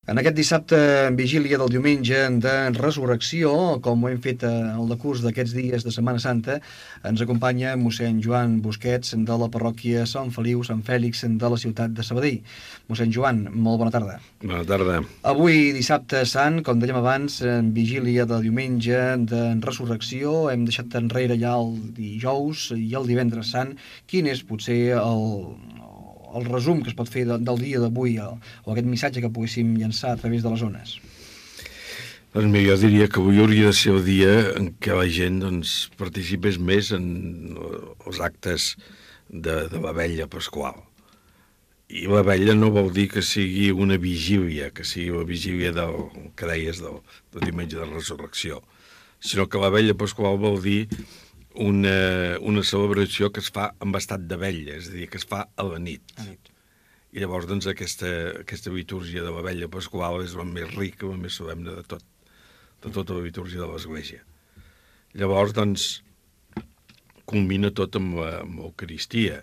En aquest dissabte, en vigília del diumenge de Resurrecció, com ho hem fet al decurs d'aquests dies de Setmana Santa, ens acompanya mossèn Joan Busquets de la parròquia Sant Feliu, Sant Fèlix de la ciutat de Sabadell. Mossèn Joan, molt bona tarda. Bona tarda. Avui, dissabte sant, com dèiem abans, en vigília del diumenge de Resurrecció, hem deixat enrere ja el dijous i el divendres sant. Quin és potser el resum que es pot fer del dia d'avui o aquest missatge que poguéssim llançar a través de les ones? Doncs jo diria que avui hauria de ser el dia en què la gent participés més en els actes de la vetlla pasqual. I la vetlla no vol dir que sigui una vigília, que sigui la vigília que deies del diumenge de resurrecció, sinó que la vetlla pasqual vol dir una celebració que es fa amb estat de vetlla, és a dir, que es fa a la nit. I llavors, aquesta litúrgia de la vetlla pasqual és la més rica, la més solemne de tota la litúrgia de l'Església. Llavors, culmina tot amb l'Eucaristia,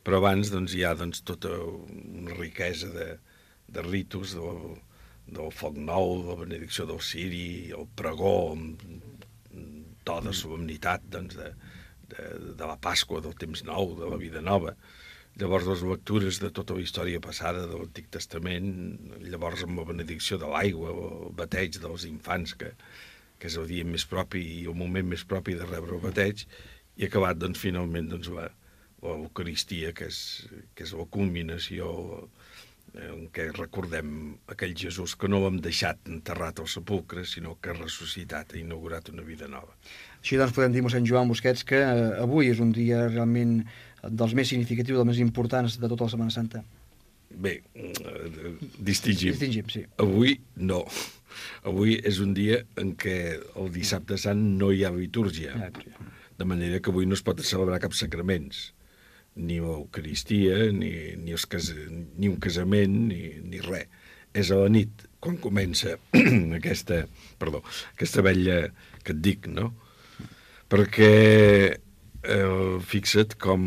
però abans hi ha tota una riquesa de ritus, del foc nou, de la benedicció del ciri, el pregó, to de solemnitat de la Pasqua, del temps nou, de la vida nova. Llavors les lectures de tota la història passada de l'Antic Testament, llavors amb la benedicció de l'aigua, el bateig dels infants, que és el dia més propi i el moment més propi de rebre el bateig, i acabat finalment l'Eucaristia, que és la culminació en què recordem aquell Jesús que no l'hem deixat enterrat al sepulcre, sinó que ha ressuscitat, ha inaugurat una vida nova. Així podem dir, mossèn Joan Busquets, que avui és un dia realment dels més significatius, dels més importants de tota la Setmana Santa. Bé, distingim. Sí. Avui no. Avui és un dia en què el dissabte sant no hi ha litúrgia, de manera que avui no es pot celebrar cap sacraments, ni l'Eucaristia, ni un casament, ni res. És a la nit, quan comença aquesta vetlla que et dic, no? Perquè fixa't com,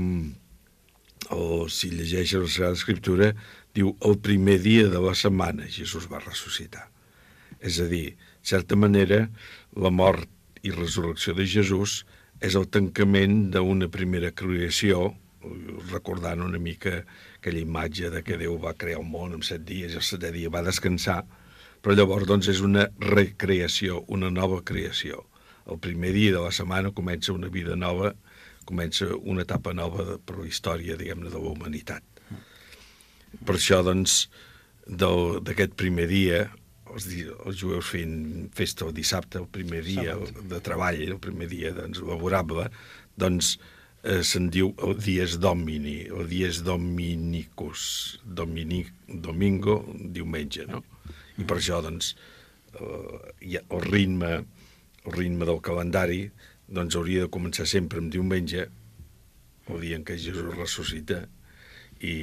si llegeixes la Sagrada Escriptura, diu el primer dia de la setmana Jesús va ressuscitar. És a dir, de certa manera, la mort i resurrecció de Jesús és el tancament d'una primera creació, recordant una mica aquella imatge de que Déu va crear el món en 7 dies i el 7è dia va descansar, però llavors és una recreació, una nova creació. El primer dia de la setmana comença una vida nova, comença una etapa nova per la història, diguem-ne, de la humanitat. Per això, d'aquest primer dia, els jueus feien festa el dissabte, el primer dia de treball, el primer dia laborable, se'n diu el Dies Domini, o Dies Dominicus, domingo, diumenge, no? I per això, el ritme del calendari hauria de començar sempre amb diumenge, el dia en què Jesús ressuscita, i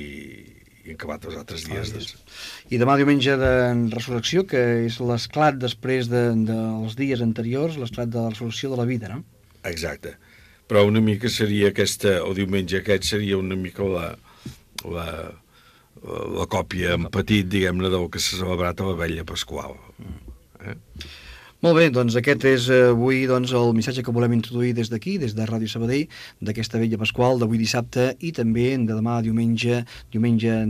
acabat els altres dies. I demà diumenge de resurrecció, que és l'esclat després dels dies anteriors, l'esclat de la resurrecció de la vida, no? Exacte. Però una mica seria el diumenge aquest seria una mica la còpia en petit, diguem-ne, del que s'ha celebrat a la vetlla pasqual. Molt bé, doncs aquest és avui el missatge que volem introduir des d'aquí, des de Ràdio Sabadell, d'aquesta vetlla pasqual d'avui dissabte i també de demà diumenge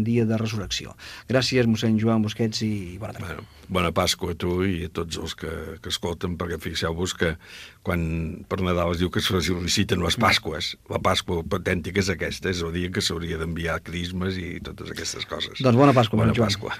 dia de resurrecció. Gràcies, mossèn Joan Busquets, i bona tarda. Bona Pasqua a tu i a tots els que escolten, perquè fixeu-vos que quan per Nadal es diu que es feliciten les Pasques, la Pasqua autèntica és aquesta, és el dia que s'hauria d'enviar crismes i totes aquestes coses. Doncs bona Pasqua, Bona Pasqua.